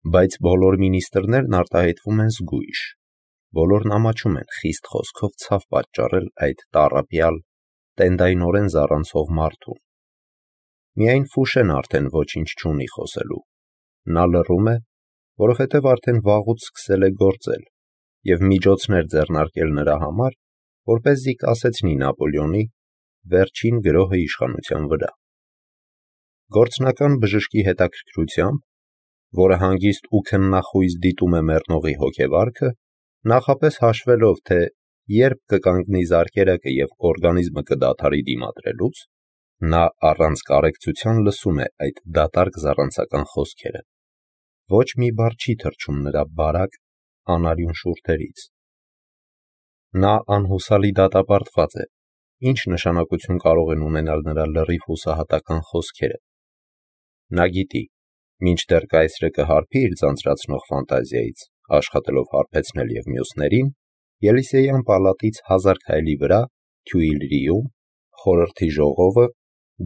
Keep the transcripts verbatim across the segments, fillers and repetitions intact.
Բայց բոլոր մինիստրներն արտահայտվում են զգույշ, բոլորն ամաչում են խիստ խոսքով ցավ պատճառել այդ տառապյալ, տենդայնորեն զառանցող մարդուն։ Միայն Ֆուշեն արդեն ոչինչ չունի խոսելու, նա լռում է, որովհետև արդեն վաղուց սկսել է գործել և միջոցներ ձեռնարկել նրա համար, որպեսզի կասեցնի Նապոլեոնի վերջին գրոհը իշխանության վրա։ Գործնական բժշկի հետաքրքրությամբ, որը հանգիստ ու քննախույզ դիտում է մեռնողի հոգեվարքը, նախապես հաշվելով, թե երբ կկանգնի զարկերակը և օրգանիզմը կդադարի դիմադրելուց, նա առանց կարեկցության լսում է այդ դատարկ զառանցական խոսքերը։ Ոչ մի բառ չի թռչում նրա բարակ, անարյուն շուրթերից։ Նա անհուսալի դատապարտված է, ինչ նշանակություն կարող են ունենալ նրա լրիվ հուսահատական խոսքերը։ Նա գիտի, մինչդեռ կայսրը կհարբի իր ձանձրացնող ֆանտազիայից, աշխատելով հարբեցնել և մյուսներին, Ելիսեյան պալատից հազար քայլի վրա, Թյուիլրիում, խորհրդի ժողովը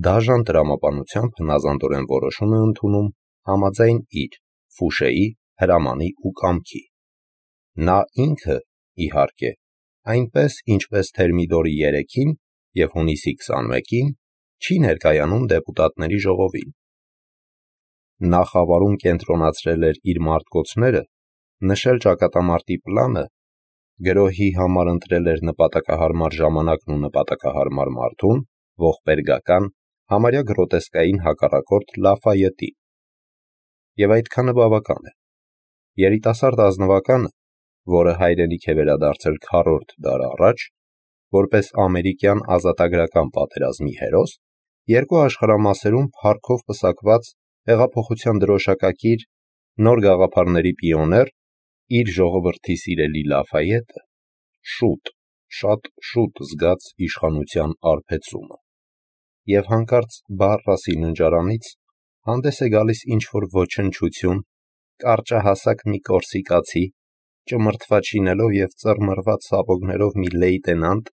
դաժան տրամաբանությամբ հնազանդորեն որոշում է ընդունում համաձայն իր, Ֆուշեի, հրամանի ու կամքի։ Նա ինքը, իհարկե, այնպես, ինչպես Թերմիդորի երեքին և հունիսի քսանմեկին, չի ներկայանում դեպուտատների ժողովին։ Նա խավարում կենտրոնացրել էր իր մարտկոցները, նշել ճակատամարտի պլանը, գրոհի համար ընտրել էր նպատակահարմար ժամանակն ու նպատակահարմար մարդուն, ողբերգական, համարյա գրոտեսկային հակառակորդ Լաֆայետի։ Եվ այդքանը բավական է։ Երիտասարդ ազնվականը, որը հայրենիք է վերադարձել քառորդ դար առաջ, որպես ամերիկյան ազատագրական պատերազմի հերոս, երկու աշխարհամասերում փառքով պսակված հեղափոխության դրոշակակիր, նոր գաղափարների պիոներ, իր ժողովրդի սիրելի Լաֆայետը, շուտ, շատ շուտ զգաց իշխանության արբեցումը։ Եվ հանկարծ Բարրասի ննջարանից հանդես է գալիս ինչ-որ ոչնչություն, կարճահասակ մի կորսիկացի, ճմրթված շինելով և ծռմռված սապոգներով մի լեյտենանտ,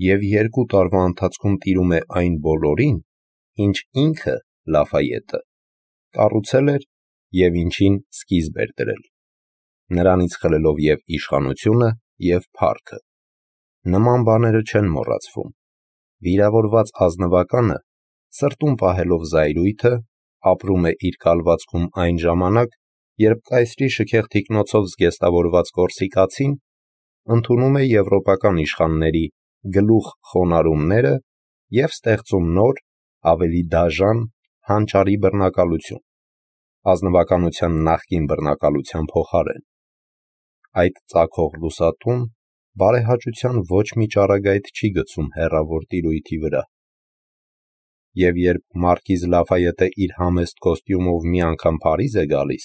և երկու տարվա ընթացքում տիրում է այն բոլորին, ինչ ինքը, Լաֆայետը, կառուցել էր և ինչին սկիզբ էր դրել, նրանից խլելով և իշխանությունը, և փառքը։ Նման բաները չեն մոռացվում։ Վիրավորված ազնվականը, սրտում պահելով զայրույթը, ապրում է իր կալվածքում այն ժամանակ, երբ կայսրի շքեղ թիկնոցով զգեստավորված կորսիկացին ընդունում է եվրոպական իշխանների գլուխ խոնարհումները և ստեղծում նոր, ավելի դաժան, հանճարի բռնակալություն, ազնվականության նախկին բռնակալության փոխարեն։ Այդ ծագող լուսատուն բարեհաճության ոչ մի ճառագայթ չի գցում հեռավոր տիրույթի վրա։ Եվ երբ մարկիզ Լաֆայետը իր համեստ կոստյումով մի անգամ Փարիզ է գալիս,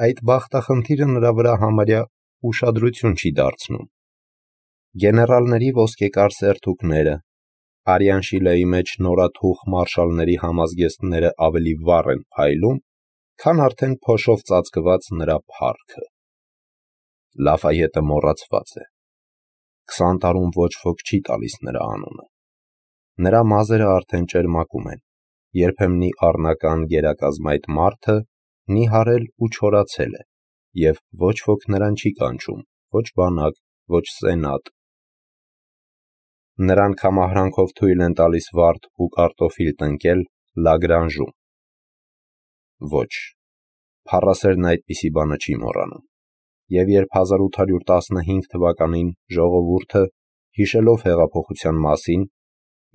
այդ բախտախնդիրը նրա վրա համարյա ուշադրություն չի դարձնում։ Գեներալների ոսկեկար սերթուկները, արյան շիլայի մեջ նորաթուխ մարշալների համազգեստները ավելի վառ են փայլում, քան արդեն փոշով ծածկված նրա փառքը։ Լաֆայետը մոռացված է։ Քսան տարում ոչ ոք չի տալիս նրա անունը։ Նրա մազերը արդեն ճերմակում են, երբեմնի առնական գերակազմայտ մարդը նիհարել ու չորացել է, և ոչ ոք նրան չի կանչում, ոչ բանակ, ոչ սենատ։ Նրան կամահրանքով թույլ են տալիս վարդ ու կարտոֆիլ տնկել Լագրանժում։ Ոչ, փառասերն այդպիսի բանը չի մոռանում։ Եվ երբ հազար ութ հարյուր տասնհինգ թվականին ժողովուրդը, հիշելով հեղափոխության մասին,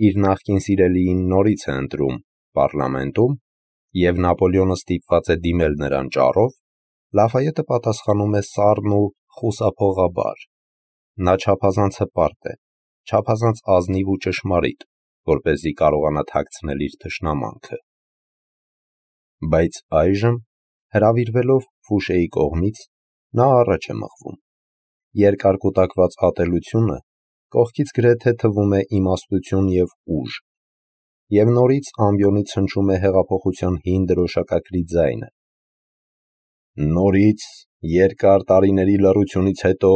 իր նախկին սիրելիին նորից է ընտրում պառլամենտում, և Նապոլեոնը ստիպված է դիմել նրան ճառով, Լաֆայետը պատասխանում է սառն ու խուսափողաբար։ Նա չափազանց հպարտ է, չափազանց ազնիվ ու ճշմարիտ, որպեսզի կարողանա թաքցնել իր թշնամանքը։ Բայց այժմ, հրավիրվելով Ֆուշեի կողմից, նա առաջ է մղվում։ Երկար կուտակված ատելությունը կողքից գրեթե թվում է իմաստություն և ուժ, և նորից ամբիոնից հնչում է հեղափոխության հին դրոշակակրի ձայնը. «Նորից, երկար տարիների լռությունից հետո,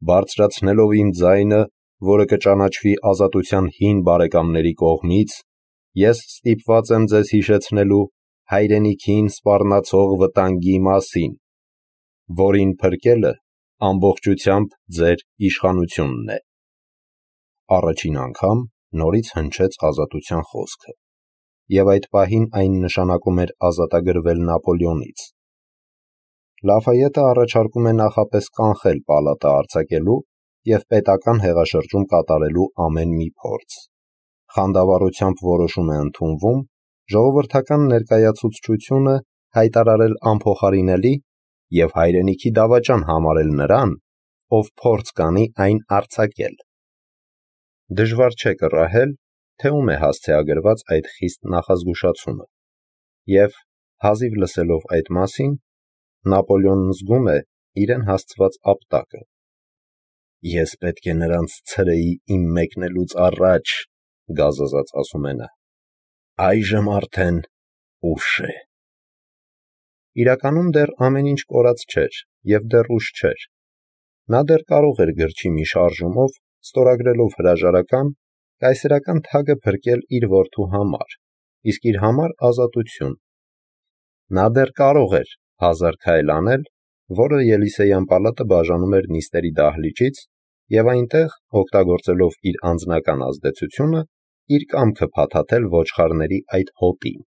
բարձրացնելով իմ ձայնը, որը կճանաչվի ազատության հին բարեկամների կողմից, ես ստիպված եմ ձեզ հիշեցնելու, հայրենիքին սպառնացող վտանգի մասին, որին փրկելը ամբողջությամբ ձեր իշխանությունն է։ Առաջին անգամ նորից հնչեց ազատության խոսքը, և այդ պահին այն նշանակում էր ազատագրվել Նապոլեոնից։ Լաֆայետը առաջարկում է նախապես կանխել պալատը արձակելու և պետական հեղաշրջում կատարելու ամեն մի փորձ։ Խանդավառությամբ որոշում է ընդունվում ժողովրդական ներկայացուցչությունը հայտարարել անփոխարինելի և հայրենիքի դավաճան համարել նրան, ով փորձ կանի այն արձակել։ Դժվար չէ կռահել, թե ում է հասցեագրված այդ խիստ նախազգուշացումը, և, հազիվ լսելով այդ մասին, Նապոլեոնն զգում է իրեն հասցված ապտակը։ «Ես պետք է նրանց ցրեի իմ մեկնելուց առաջ», գազազած ասում է նա։ «Այժմ արդեն ուշ է»։ Իրականում դեռ ամեն ինչ կորած չէր և դեռ ուշ չէր։ Նա դեռ կարող էր գրչի մի շարժումով, ստորագրելով հրաժարական, կայսերական թագը փրկել իր որդու համար, իսկ իր համար ազատություն։ Նա դեռ կարող էր հազար քայլ անել, որը Ելիսեյան պալատը բաժանում էր նիստերի դահլիճից, և այնտեղ, օգտագործելով իր անձնական ազդեցությունը, իր կամքը փաթաթել ոչխարների այդ հոտին։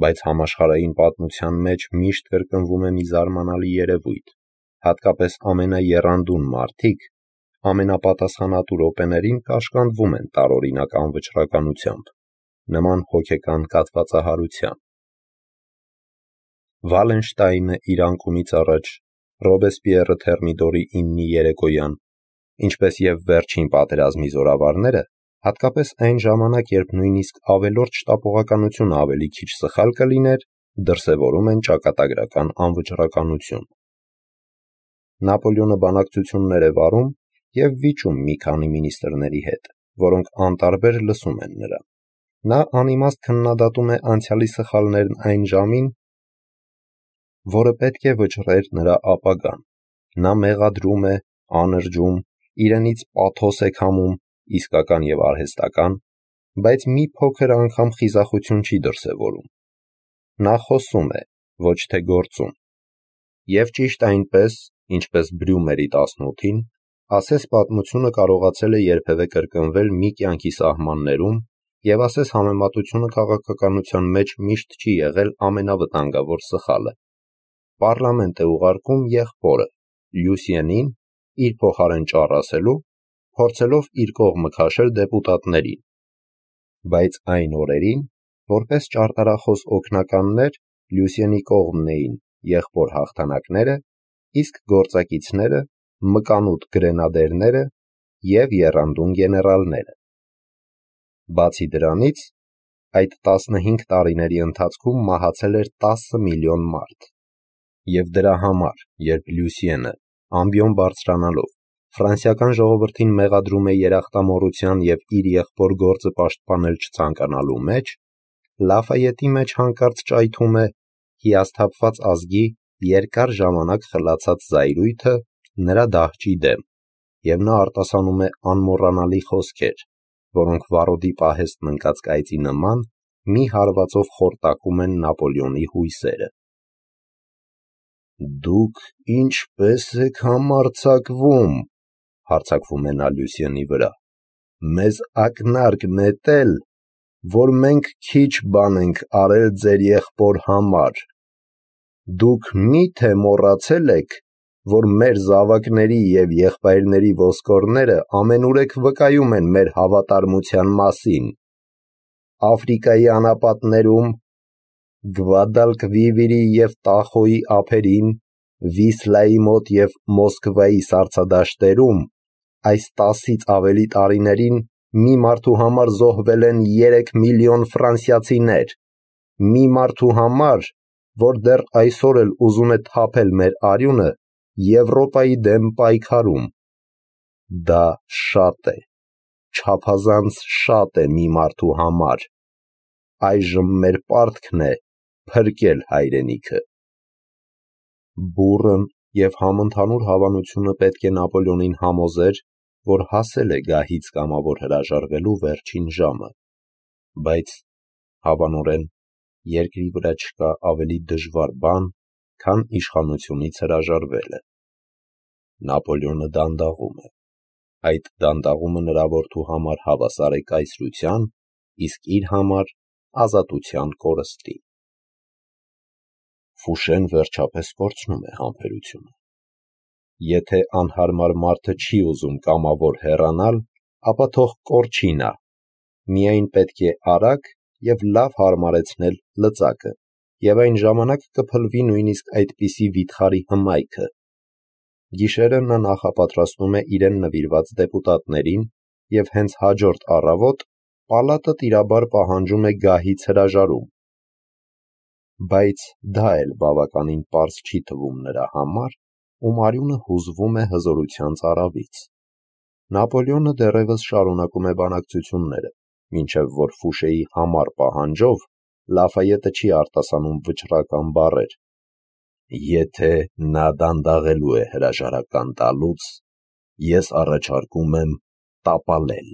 Բայց համաշխարհային պատմության մեջ միշտ կրկնվում է մի զարմանալի երևույթ, հատկապես ամենաեռանդուն մարդիկ ամենապատասխանատու րոպեներին կաշկանդվում են տարօրինակ անվճռականությամբ, նման հոգեկան կաթվածահարության։ Վալենշտայնը իր անկումից առաջ, Ռոբեսպիերը Թերմիդորի իննի երեկոյան, ինչպես և վերջին պատերազմի զորավարները, հատկապես այն ժամանակ, երբ նույնիսկ ավելորդ շտապողականությունը ավելի քիչ սխալ կլիներ, դրսևորում են ճակատագրական անվճռականություն։ Նապոլեոնը բանակցություններ է վարում և վիճում մի քանի մինիստրների հետ, որոնք անտարբեր լսում են նրան։ Նա անիմաստ քննադատում է անցյալի սխալներն այն ժամին, որը պետք է վճռեր նրա ապագան։ Նա մեղադրում է, անրջում, իրենից պաթոս է քամում, իսկական և արհեստական, բայց մի փոքր անգամ խիզախություն չի դրսևորում։ Նա խոսում է, ոչ թե գործում։ Եվ ճիշտ այնպես, ինչպես Բրյումերի տասնութին, ասես պատմությունը կարողացել է երբևէ կրկնվել մի կյանքի սահմաններում, և ասես համեմատությունը քաղաքականության մեջ միշտ չի եղել ամենավտանգավոր սխալը։ Պառլամենտ է ուղարկում եղբորը՝ Լյուսիենին, իր փոխարեն ճառ ասելու, փորձելով իր կողմը քաշել դեպուտատներին։ Բայց այն օրերին, որպես ճարտարախոս օգնականներ, Լյուսիենի կողմն էին եղբոր հաղթանակները, իսկ գործակիցները՝ մկանուտ գրենադերները և եռանդուն գեներալները։ Բացի դրանից, այդ տասնհինգ տարիների ընթացքում մահացել էր տասը միլիոն մարդ։ Եվ դրա համար, երբ Լյուսիենը, ամբիոն բարձրանալով, ֆրանսիական ժողովրդին մեղադրում է երախտամոռության և իր եղբոր գործը պաշտպանել չցանկանալու մեջ, Լաֆայետի մեջ հանկարծ ճայթում է հիասթափված ազգի երկար ժամանակ խլացած զայրույթը նրա դահճի դեմ, և նա արտասանում է անմոռանալի խոսքեր, որոնք վառոդի պահեստն ընկած կայծի նման մի հարվածով խորտակում են Նապոլեոնի հույսերը։ «Դուք ինչպե՞ս եք համարձակվում», հարձակվում է նա Լյուսիենի վրա, «մեզ ակնարկ նետել, որ մենք քիչ բան ենք արել ձեր եղբոր համար։ Դուք մի՞թե մոռացել եք, որ մեր զավակների և եղբայրների ոսկորները ամենուրեք վկայում են մեր հավատարմության մասին։ Աֆրիկայի անապատներում, Գվադալկվիվիրի և Տախոյի ափերին, Վիսլայի մոտ և Մոսկվայի սառցադաշտերում այս տասից ավելի տարիներին մի մարդու համար զոհվել են երեք միլիոն ֆրանսիացիներ, մի մարդու համար, որ դեռ այսօր էլ ուզում է թափել մեր արյունը Եվրոպայի դեմ պայքարում։ Դա շատ է, չափազանց շատ է մի մարդու համար։ Այժմ մեր պարտքն է փրկել հայրենիքը»։ Բուռն և համընդհանուր հավանությունը պետք է Նապոլեոնին համոզեր, որ հասել է գահից կամավոր հրաժարվելու վերջին ժամը, բայց հավանորեն երկրի վրա չկա ավելի դժվար բան, քան իշխանությունից հրաժարվելը։ Նապոլեոնը դանդաղում է։ Այդ դանդաղումը նրա որդու համար հավասար է կայսրության, իսկ իր համար ազատության կորստի։ Ֆուշեն վերջապես կորցնում է համբերությունը։ Եթե անհարմար մարդը չի ուզում կամավոր հեռանալ, ապա թող կորչի նա, միայն պետք է արագ և լավ հարմարեցնել լծակը, և այն ժամանակ կփլվի նույնիսկ այդպիսի վիթխարի հմայքը։ Գիշերը նա նախապատրաստում է իրեն նվիրված դեպուտատներին և հենց հաջորդ առավոտ պալատը տիրաբար պահանջում է գահից հրաժարում։ Բայց դա էլ բավականին պարզ չի թվում նրա համար, ում արյունը հուզվում է հզորության ծարավից։ Նապոլեոնը դեռևս շարունակում է բանակցությունները, մինչև որ Ֆուշեի համառ պահանջով Լաֆայետը չի արտասանում վճռական բառեր. «Եթե նա դանդաղելու է հրաժարական տալուց, ես առաջարկում եմ տապալել»։